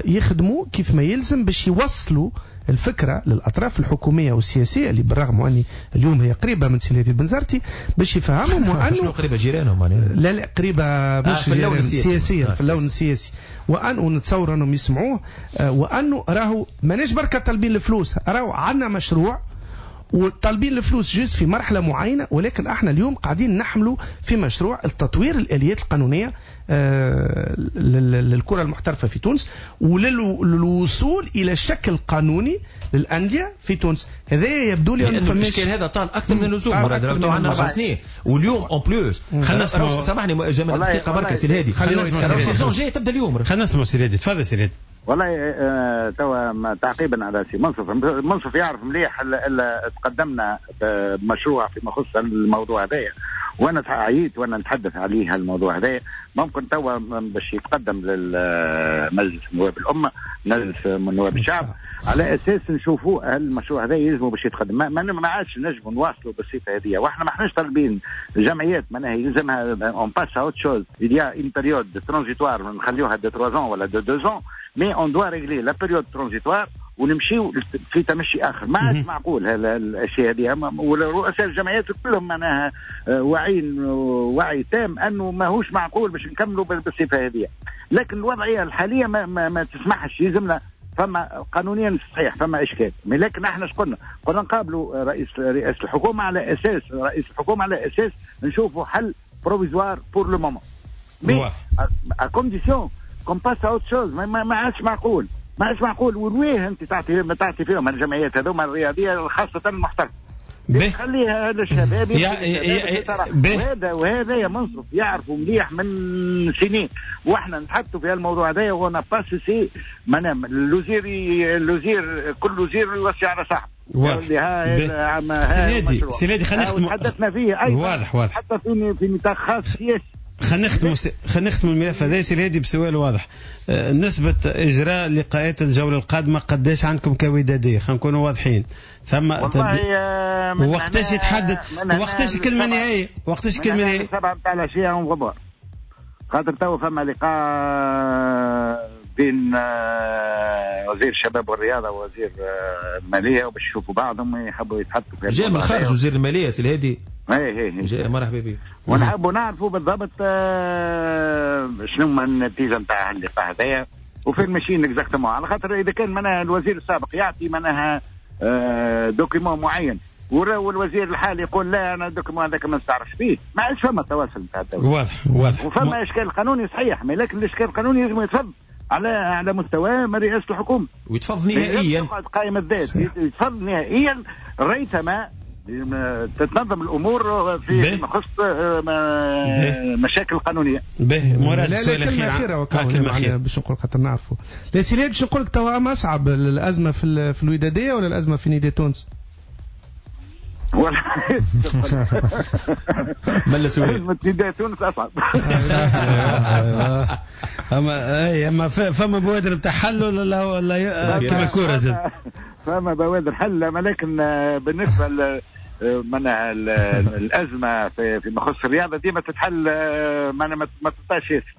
يخدموا كيف ما يلزم باش يوصلوا الفكرة للاطراف الحكومية والسياسية اللي بالرغم اني اليوم هي قريبه من سي الهادي البنزرتي باش يفهمهم وانه شنو قريبه جيرانهم يعني لا لا قريبه مش آه في اللون السياسي سياسيا في اللون السياسي، وان ونتصور انهم يسمعوه، وانه راهو ماناش بركة طالبين الفلوس، راهو عندنا مشروع وطالبين الفلوس juste في مرحلة معينة، ولكن احنا اليوم قاعدين نحملوا في مشروع التطوير الاليات القانونية للكرة المحترفه في تونس وللوصول الى شكل قانوني للاندية في تونس. هذا يبدو لي انه الاشكال هذا طال اكثر من اللزوم، مراد عندنا اربع سنين واليوم en plus. خلينا نسمع، سامحني جمال دقيقة بركة سي الهادي، خلينا نسمع ال saison الجاية تبدا اليوم. خلينا نسمع سي الهادي، تفضل سي الهادي. والله آه توا تعقيبا على سي منصف، منصف يعرف مليح تقدمنا بمشروع فيما يخص الموضوع هذايا، وانا عييت وانا نتحدث عليه الموضوع هذايا. ممكن توا باش يتقدم للمجلس نواب الامة، مجلس نواب الشعب، على اساس نشوفوا هل المشروع هذا يلزموا باش يتقدم. ما, ما عادش نجموا نواصلوا بالصفة هذه، واحنا ما احناش طالبين جمعيات معناها يلزمها on passe à autre chose، il y a une période transitoire نخليوها de trois ans ولا de deux ans، mais on doit régler la période transitoire ونمشيو في تمشي اخر. ما عادش معقول هالاشياء هذه، ورؤساء الجمعيات كلهم معناها واعيين وعي تام انه ماهوش معقول باش نكملوا بالصفة هذه، لكن الوضعية الحالية ما, ما, ما تسمحش. يلزمنا فما قانونيا صحيح فما اشكال، لكن احنا اش قلنا؟ قلنا نقابلوا رئيس رئاسة الحكومة على اساس رئيس الحكومة على اساس نشوفوا حل provisoire pour le moment، mais à condition qu'on passe à autre chose. ما عادش معقول، ما عادش معقول. وين انت تعطي ما تعطي فيهم الجمعيات هذوما الرياضية خاصة المحترفه، خليها للشباب. وهذا وهذا يا منصف يعرفوا مليح من سنين، واحنا نتحدثوا في الموضوع هذا و on n'a pas cessé. معناها الوزير الوزير كل وزير يوصي على صاحبه. واضح. سيدي سيدي خلينا نختم، تحدثنا فيه ايضا. واضح واضح، حتى في في نطاق خاص سياسي. خلينا نختم خلينا نختم الملف هذا سي الهادي بسؤال واضح. نسبة إجراء لقاءات الجولة القادمة قداش عندكم كودادية؟ خلينا نكونوا واضحين. ثم وقتاش يتحدد؟ وقتاش الكلمة النهائية؟ وقتاش الكلمة النهائية؟ سبعة نتاع العشية on va voir، خاطر تو فما لقاء بين وزير الشباب والرياضة ووزير المالية، وباش يشوفوا بعضهم يحبوا يتحدثوا. جاء من الخارج وزير المالية سي الهادي. اي اي جاء، مرحبا بك. ونحبوا نعرفوا بالضبط شنو هما النتيجة نتاع اللقاء هذايا وفين ماشيين exactement، على خاطر اذا كان معناها الوزير السابق يعطي معناها document معين والوزير الحالي يقول لا انا ال document هذاك ما نستعرفش فيه، ما عادش فما تواصل نتاع الدولة. واضح واضح. وفما اشكال قانوني صحيح، لكن الاشكال القانوني لازم يتفض على على مستوى رئاسة الحكومة ويتفض نهائيا، قائم الذات يتفض نهائيا ريثما تتنظم الامور في يخص مشاكل قانونية. به مراد سؤال اخير اخير باش نقول خاطر نعرفوا. لا سي باش نقول لك توا ما اصعب الازمة في في الوداديه ولا الازمة في نداء تونس؟ ولا ملا سؤال. ازمة نداء تونس اصعب. اما اي اما فما بوادر بتاع حل ولا ولا كما الكورة زاد؟ فما بوادر حل، ولكن بالنسبة معناها الازمة في فيما يخص الرياضة ديما تتحل، معناها ما تبقاش ياسر.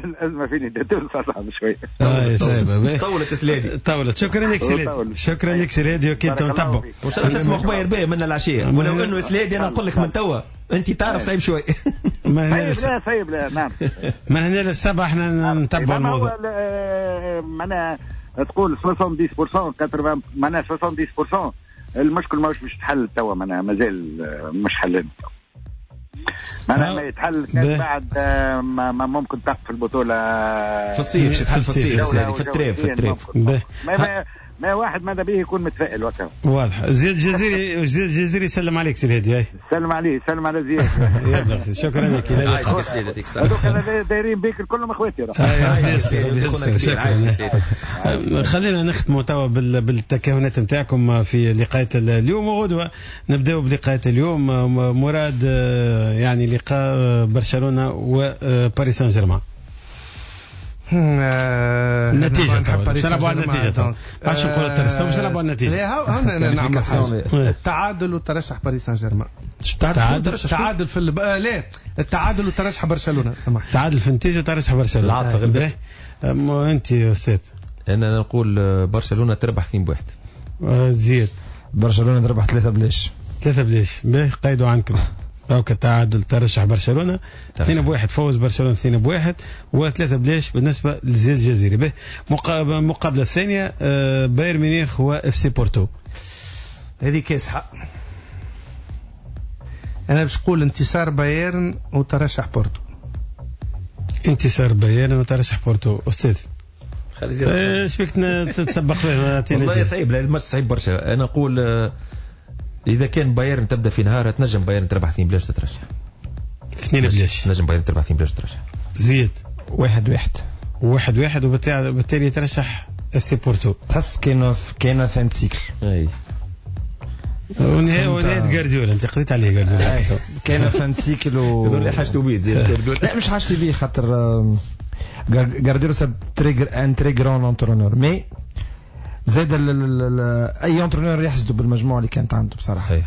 الازمة في نداء تونس اصعب شوية. اه صعيبة. طولت سلادي، طولت. شكرا لك سلادي، شكرا لك سلادي، وكي نتبعوا وان شاء الله تسمع اخبار باهيه منا العشية، ولو انه سلادي انا نقول لك من توا انت تعرف صعيب شوي. لا صعيب لا نعم. من هنا للسبعه احنا نتبعوا الموضوع. معناها تقول سبعة وسبعين بالمية ثمانين معناها سبعة وسبعين بالمية المشكل ماهوش باش يتحل توا، معناها مازال مش حل معناها ما يتحل كان بعد ما ممكن تقف البطولة في الصيف، في الصيف في ال trêve في ال trêve. ما ما واحد ماذا به يكون متفائل وقتها. واضح. زياد الجزيري، زياد الجزيري يسلم عليك سي الهادي. سلم عليه، سلم على زياد. يلا شكرا لك. هذوك دايرين بيك كلهم اخواتي. خلينا نختموا توا بالتكهنات نتاعكم في لقاء اليوم وغدوه. نبداو بلقاء اليوم مراد، يعني لقاء برشلونة وباريس سان جيرمان. النتيجة باش نلعبوا على النتيجة تو، باش نقول الترشح باش نلعبوا على النتيجة. نعمل التعادل وترشح باريس سان جيرمان. تعادل تعادل في الب... آه لا التعادل وترشح برشلونة. سامح، تعادل في النتيجة وترشح برشلونة. العاطفة غلبت. انت يا استاذ؟ انا نقول برشلونة تربح اثنين بواحد. زيد برشلونة تربح ثلاثة بلاش. ثلاثة بلاش. باهي قيدوا عنكم. donc التعادل ترشح برشلونة اثنين بواحد، فوز برشلونة اثنين بواحد وثلاثة بلاش بالنسبة لزياد الجزيري. باهي المقابلة الثانية بايرن ميونخ واف سي بورتو. هذه كاسحه. انا باش نقول انتصار بايرن وترشح بورتو. انتصار بايرن وترشح بورتو. استاذ ايش بيك تتسبق به؟ والله صعيب، لا الماتش صعيب برشا. انا نقول اذا كان بايرن تبدا في نهار تنجم بايرن تربح اثنين بلاش تترشح. اثنين بلاش تنجم بايرن تربح اثنين بلاش تترشح. زيد واحد واحد. واحد واحد وبالتالي يترشح اف سي بورتو. تحس كاينه كاينه fin cycle. اي ونهاية ونهاية جارديولا، انت قضيت عليه جارديولا. كاينه fin cycle و هذول اللي حاجته بيه زيد جارديولا. لا مش حاجتي بيه، خاطر جارديولا c'est très un très grand entraîneur، mais زاد اي entraîneur يحسدوا بالمجموعة اللي كانت عنده بصراحة. صحيح.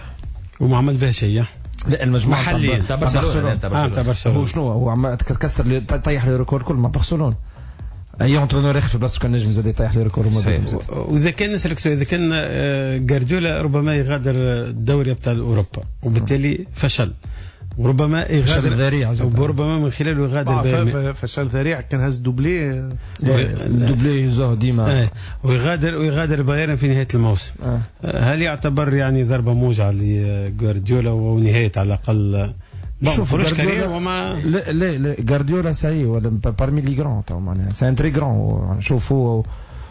وما عمل بها شيء. لا المجموعة محليا تاع برشلونة. تاع برشلونة هو شنو هو عم تكسر طيح les records كل مع برشلونة. اي entraîneur يخفي بلاصتو كان نجم زاد يطيح les records. واذا كان نسالك سؤال، اذا كان جارديولا ربما يغادر الدوري ابطال اوروبا وبالتالي فشل، وربما يغادر ذريع، وربما من خلاله يغادر بايرن. فشل ذريع كان هز doublé doublé يزوه ديما. آه. ويغادر ويغادر بايرن في نهاية الموسم. آه. هل يعتبر يعني ضربه موجعة لجوارديولا ونهاية على الاقل شوف جوارديولا وما لا لا لا جوارديولا ça y est ولا parmi les grands تو معناها c'est un très grand. شوف هو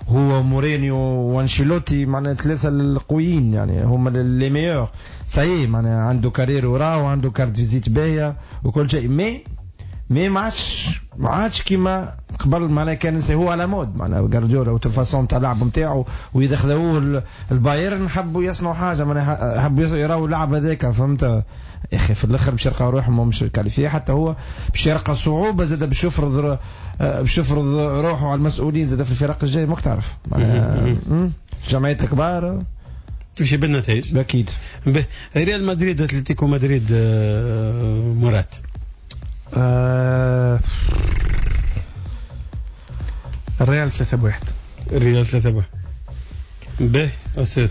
هو مورينيو وانشيلوتي معناها ثلاثة القويين يعني هما les meilleurs. ça y est معناها عنده carrière وراه وعنده carte visite باهيه وكل شيء، mais mais ما عادش ما عادش كيما قبل معناها كان هو à la mode معناها جوارديولا و façon تاع اللعب نتاعو. واذا خذوه البايرن حبوا يصنعوا حاجة معناها حبوا يراو اللعب هذاك، فهمت يا اخي. في الاخر باش يلقى روحهم مش qualifiés، حتى هو باش يلقى صعوبة زاد باش يفرض باش يفرض روحه على المسؤولين زاد في الفرق الجاي، ماك تعرف معناها جمعيات الكبار تمشي بالنتائج اكيد. ريال مدريد اتلتيكو مدريد مراد. آه... الريال ثلاثة بواحد. الريال ثلاثة بواحد. به أستاذ.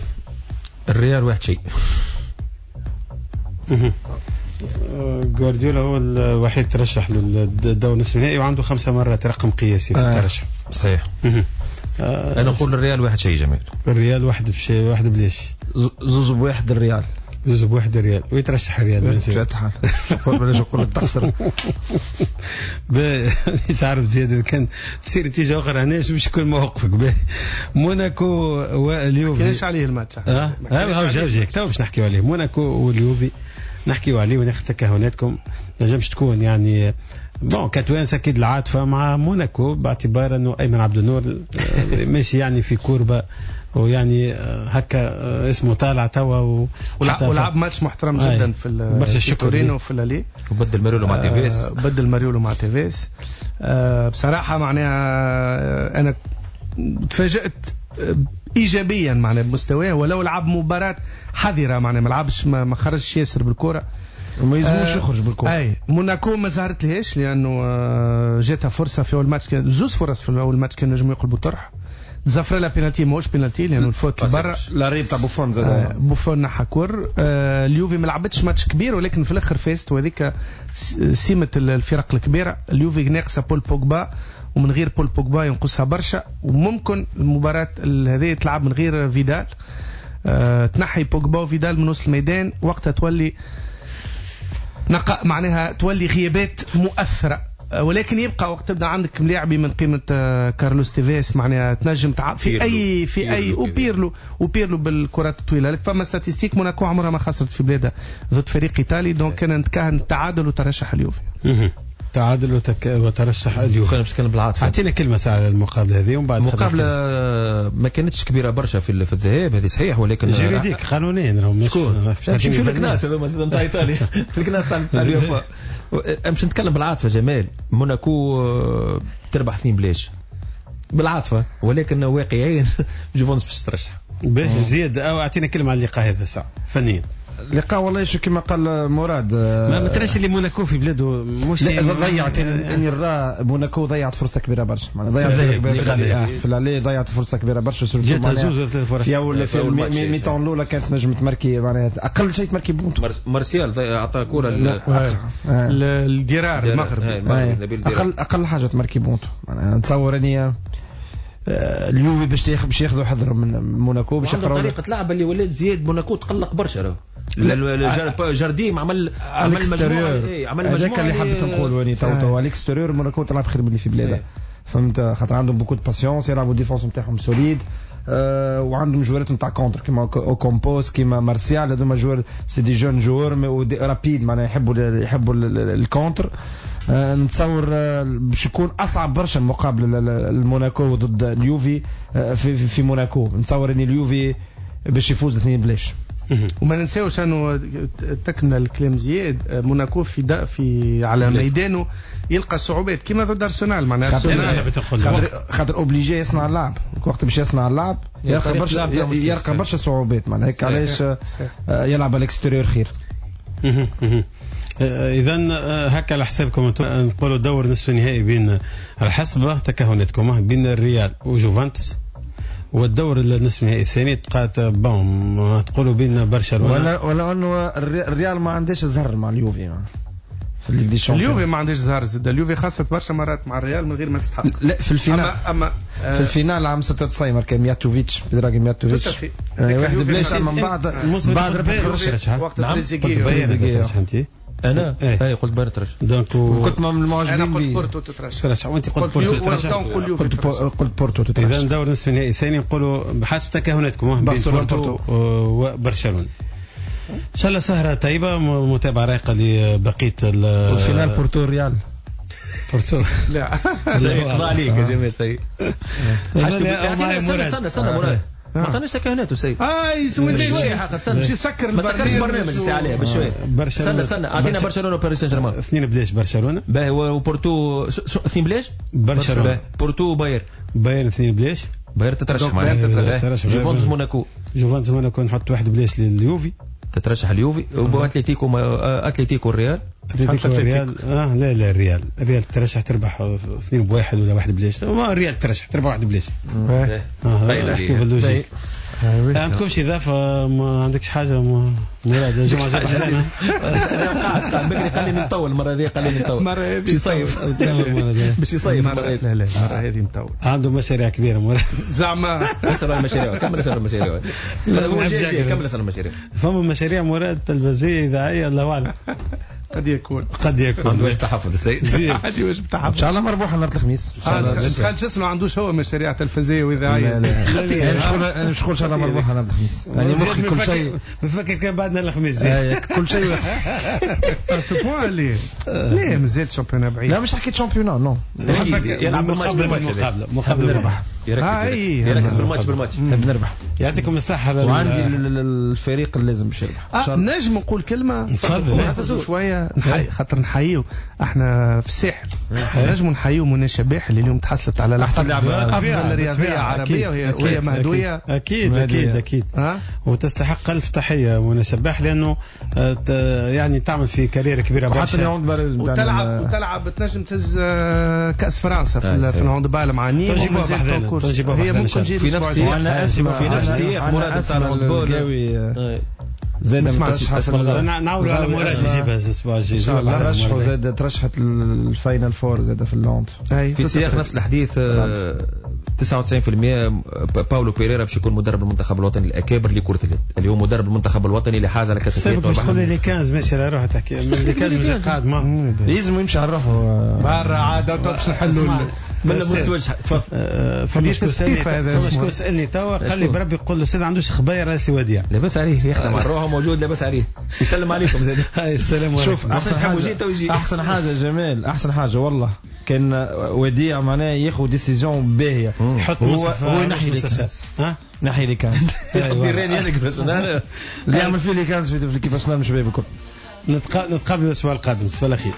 الريال واحد شيء. جوارديولا هو الوحيد ترشح للدور نصف النهائي وعنده خمسة مرات رقم قياسي في الترشح. آه. صحيح. آه. أنا أقول الريال واحد شيء جميل. الريال واحد بشيء واحد بليش. زوز بواحد الريال. زوز بواحد ريال ويترشح الريال. بلاش نقول لك تخسر. مش عارف زياد كان تصير نتيجة اخرى هنا باش يكون موقفك. موناكو واليوفي كاينش عليه الماتش. اه اه جاو جاك تو باش نحكيو عليه. موناكو واليوفي نحكيو عليه وناخذ تكهناتكم. نجمش تكون يعني bon كتوانسه اكيد العاطفة مع موناكو باعتبار انه ايمن عبد النور ماشي يعني في courbe ويعني هكا اسمه طالع توا ولعب ماتش محترم جدا في برشا تورينو في l'aller وبدل ماريولو مع تيفيس. بدل ماريولو مع تيفيس. بصراحة معناها انا تفاجأت ايجابيا معناها بمستواه، ولو لعب مباراة حذره معناها ما لعبش ما خرجش ياسر بالكرة وما يلزموش يخرج بالكرة. اي موناكو ما زهرت لهاش لانه جاتها فرصة في اول ماتش، كان زوز فرص في اول ماتش كان نجموا يقلبوا الطرح. زفر لا بينالتي ماهوش بينالتي لانه ال faute برا l'arrêt تاع بوفون زاد آه بوفون نحى كور. آه اليوفي ما لعبتش ماتش كبير ولكن في الاخر فازت، وهذيك سمه الفرق الكبيرة. اليوفي ناقصه بول بوجبا، ومن غير بول بوجبا ينقصها برشا، وممكن المباراة هذه تلعب من غير فيدال. آه تنحي بوجبا وفيدال من وسط الميدان وقتها تولي نقاء معناها تولي غيابات مؤثرة. ولكن يبقى وقت تبدا عندك ملاعبي من قيمة كارلوس تيفيس معناها تنجم تع... في اي في اي وبيرلو وبيرلو بالكرات الطويلة. فما statistiques موناكو عمرها ما خسرت في بلادها ضد فريق ايطالي، donc كان نتكهن التعادل وترشح اليوفي. تعادل وتك... وترشح اليوفي. خلينا نتكلم بالعاطفه. اعطينا كلمة ساعة على المقابلة هذه ومن بعد. المقابلة ما كانتش كبيرة برشا في في الذهاب هذه صحيح، ولكن juridique قانونيا راهم شكون باش نمشيو للكناس هذوما نتاع ايطاليا الكناس تاع اليوفا. باش نتكلم بالعاطفه جمال، موناكو تربح اثنين بلاش بالعاطفه، ولكن واقعيا جوفونس باش ترشح. باهي زياد، او اعطينا كلمة على اللقاء هذا ساعة فنيا. اللقاء والله شو كما قال مراد، ما تراش اللي موناكو في بلاده مش ضيعت. اني نرى موناكو ضيعت فرصة كبيرة برشا، معناها ضيعت في l'aller ضيعت فرصة كبيرة برشا، جاتها زوز ولا ثلاث فرص يا في ال mi-temps الاولى كانت نجم تماركي، معناها اقل شيء تماركي but. مارسيال اعطى كره الدرار المغربي، اقل اقل حاجة تماركي but. معناها نتصور اني اليوفي باش ياخذ باش ياخذوا حذر من موناكو، باش يقراو طريقه لعب اللي ولات زياد. موناكو تقلق برشا راهو جارديم عمل عمل مجموعة، اي عمل مجموعة اللي حبيت نقول واني تو تو à l'extérieur موناكو تلعب خير من اللي في بلادها، فهمت؟ خاطر عندهم beaucoup de patience، يلعبوا défense نتاعهم solide، أه وعندهم جوارات نتاع contre كيما اوكامبوس كيما مارسيال، هذوما joueurs c'est des jeunes joueurs rapides، معناها يحبوا يحبوا ال contre. أه نتصور باش يكون اصعب برشا المقابلة الموناكو ضد اليوفي في في موناكو. نتصور ان اليوفي باش يفوز اثنين بلاش. وما ننساوش انه تكمل الكلام زياد، موناكو في في على ميدانه يلقى صعوبات كيما ضد ارسنال، معناها خاطر خاطر obligé يصنع اللعب، وقت باش يصنع اللعب يلقى برشا يلقى برشا صعوبات، معناها هيك علاش يلعب على ال extérieur خير. اذا هكا على حسابكم انتم نقولوا دور نصف النهائي بين على حسب تكهناتكم بين الريال وجوفنتوس، والدور النصف النهائي الثاني تبقى bon تقولوا بين برشلونة. ولا ولا انه الريال ما عندهاش زهر مع اليوفي في Ligue des Champions. اليوفي ما عندهاش زهر زاد، اليوفي خسرت برشا مرات مع الريال من غير ما تستحق. لا في ال finale، اما, أما في ال finale عام ستة وتسعين ماركا مياتوفيتش بدراغي مياتوفيتش واحد بلاش، من بعد بعد ربح وقت تريزيجيه. انا اي قلت بايرن ترشح، donc كنت من المعجبين. انا قلت بورتو تترشح، ترشح وانت قلت بورتو تترشح، قلت قلت بورتو تترشح. اذا دور نصف النهائي الثاني نقولوا بحسب تكهناتكم بين بورتو وبرشلونة. ان شاء الله سهره طيبة، متابعه رايقة لبقية ال finale بورتو ريال. بورتو لا سيء قضى عليك يا جمال سيء. استنى استنى استنى مراد، ما عطاناش تكهنات وسيد. اه يسوي شوية استنى باش يسكر ما تسكرش برنامج الساعة عليه بشوية. استنى استنى اعطينا برشلونة وباريس سان جيرمان. اثنين بلاش برشلونة. باهي وبورتو اثنين بلاش؟ برشلونة. بورتو باير. بايرن اثنين بلاش. بايرن تترشح معناها. جوفنتوس موناكو. جوفنتوس موناكو نحط واحد بلاش لليوفي. تترشح اليوفي. واتليتيكو اتليتيكو الريال. اتلتيكو الريال اه لا لا الريال الريال ترشح تربح اثنين بواحد ولا واحد بلاش. ما الريال ترشح تربح واحد بلاش. اه احكي بال logique. عندكمش اضافه؟ ما عندكش حاجة مراد؟ الجمعة انا قاعد بكري قال لي نطول المرة هذه، قال لي نطول باش يصيف باش يصيف المرة هذه. لا لا المرة هذه مطول، عنده مشاريع كبيرة مراد زعما. اسال على المشاريع، كمل اسال على المشاريع، كمل اسال على المشاريع. فما مشاريع مراد تلفزيونية اذاعية الله اعلم. قد يكون قد يكون عنده واجب تحفظ السيد، عندي واجب تحفظ. ان شاء الله مربوحه نهار الخميس. تخيل جسم ما عندوش هو مشاريع تلفزيونية واذاعيه. لا لا انا مش نقول ان شاء الله مربوحه نهار الخميس، يعني مخي كل شيء نفكر كان بعد نهار الخميس كل شيء ce point اللي لا مازال championnat بعيد. لا مش حكيت championnat non، يلعب بالماتش بالماتش مقابله مقابله نربح، يركز بالماتش بالماتش نحب نربح. يعطيكم الصحة. وعندي الفريق اللي لازم باش يربح. نجم نقول كلمة تفضل شوية خاطر نحييو احنا في الساحل، نجموا نحييو منى شباح اللي اليوم تحصلت على احسن افضل رياضية عربية وهي وهي مهدويه. اكيد اكيد اكيد وتستحق الف تحية منى شباح، لانه يعني تعمل في carrière كبيرة برشا، وتلعب وتلعب تنجم تهز كاس فرنسا في في ال handball مع نيم. هي ممكن في نفس في نفس سياق مراد تاع ال handball زاد مترشحة. نعاولوا على مراد يجيبها الاسبوع الجاي. ترشحوا زاد ترشحت ال final four زاد في ال hand. في سياق نفس الحديث تسعة وتسعين بالمية باولو بيريرا باش يكون مدرب المنتخب الوطني الاكابر لكرة اليد، اللي هو مدرب المنتخب الوطني اللي حاز على كاس افريقيا. باش تقول لي les quinze ماشي على روحه تحكي les quinze مازال قاعد ما لازم يمشي على روحه برا عاد باش نحلوا من مستوى. تفضل. فما شكون سالني فما شكون سالني توا قال لي بربي قول له الاستاذ عندوش خبايا راسي وديع. لاباس عليه يخدم على روحه موجود لاباس عليه يسلم عليكم زاد. هاي السلام عليكم. شوف احسن حاجة احسن حاجة جمال احسن حاجة والله كان وديع معناه ياخذ décision باهيه يحط هو هو ينحي les quinze ها نحي les quinze ديراني انا كيفاش اللي يعمل فيه les quinze في l'équipe nationale مش باهي بالكل. نتقابل الاسبوع القادم صباح الخير.